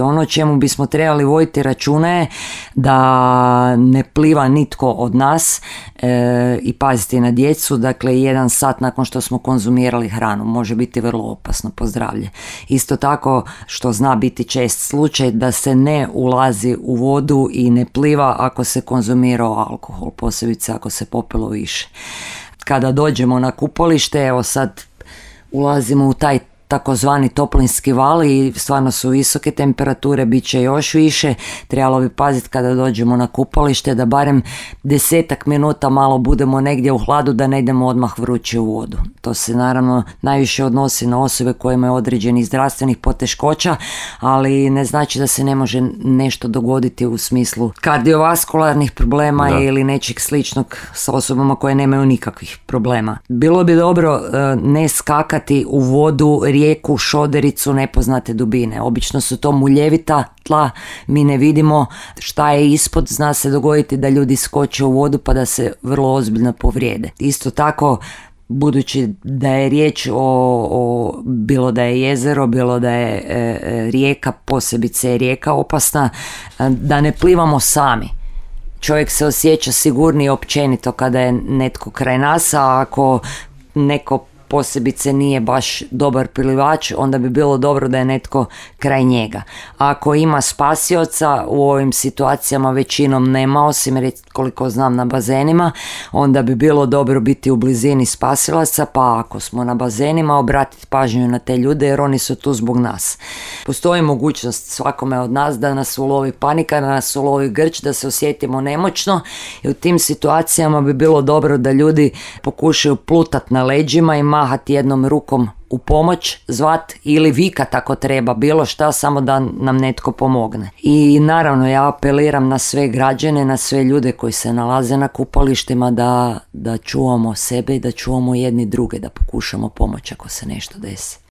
voditi. Ono o čemu bismo trebali voditi računa je da ne pliva nitko od nas i paziti na djecu. Dakle, 1 sat nakon što smo konzumirali hranu može biti vrlo opasno po zdravlje. Isto tako, što zna biti čest slučaj, da se ne ulazi u vodu i ne pliva ako se konzumirao alkohol, posebice ako se popilo više. Kada dođemo na kupalište, evo sad ulazimo u taj takozvani toplinski val i stvarno su visoke temperature, bit će još više. Trebalo bi paziti kada dođemo na kupalište da barem 10 minuta malo budemo negdje u hladu, da ne idemo odmah vruće u vodu. To se naravno najviše odnosi na osobe koje imaju određenih zdravstvenih poteškoća, ali ne znači da se ne može nešto dogoditi u smislu kardiovaskularnih problema ili nečeg sličnog sa osobama koje nemaju nikakvih problema. Bilo bi dobro ne skakati u vodu, rijeku, šodericu nepoznate dubine. Obično su to muljevita tla, mi ne vidimo šta je ispod, zna se dogoditi da ljudi skoče u vodu pa da se vrlo ozbiljno povrijede. Isto tako, budući da je riječ o bilo da je jezero, bilo da je rijeka, posebice je rijeka opasna, da ne plivamo sami. Čovjek se osjeća sigurnije općenito kada je netko kraj nas, a ako neko posebice nije baš dobar plivač, onda bi bilo dobro da je netko kraj njega. A ako ima spasioca, u ovim situacijama većinom nema, osim koliko znam na bazenima, onda bi bilo dobro biti u blizini spasilaca, pa ako smo na bazenima obratiti pažnju na te ljude jer oni su tu zbog nas. Postoji mogućnost svakome od nas da nas ulovi panika, da nas ulovi grč, da se osjetimo nemoćno i u tim situacijama bi bilo dobro da ljudi pokušaju plutati na leđima i mahati jednom rukom u pomoć, zvat ili vikat ako treba, bilo šta, samo da nam netko pomogne. I naravno ja apeliram na sve građane, na sve ljude koji se nalaze na kupalištima da čuvamo sebe i da čuvamo jedni druge, da pokušamo pomoći ako se nešto desi.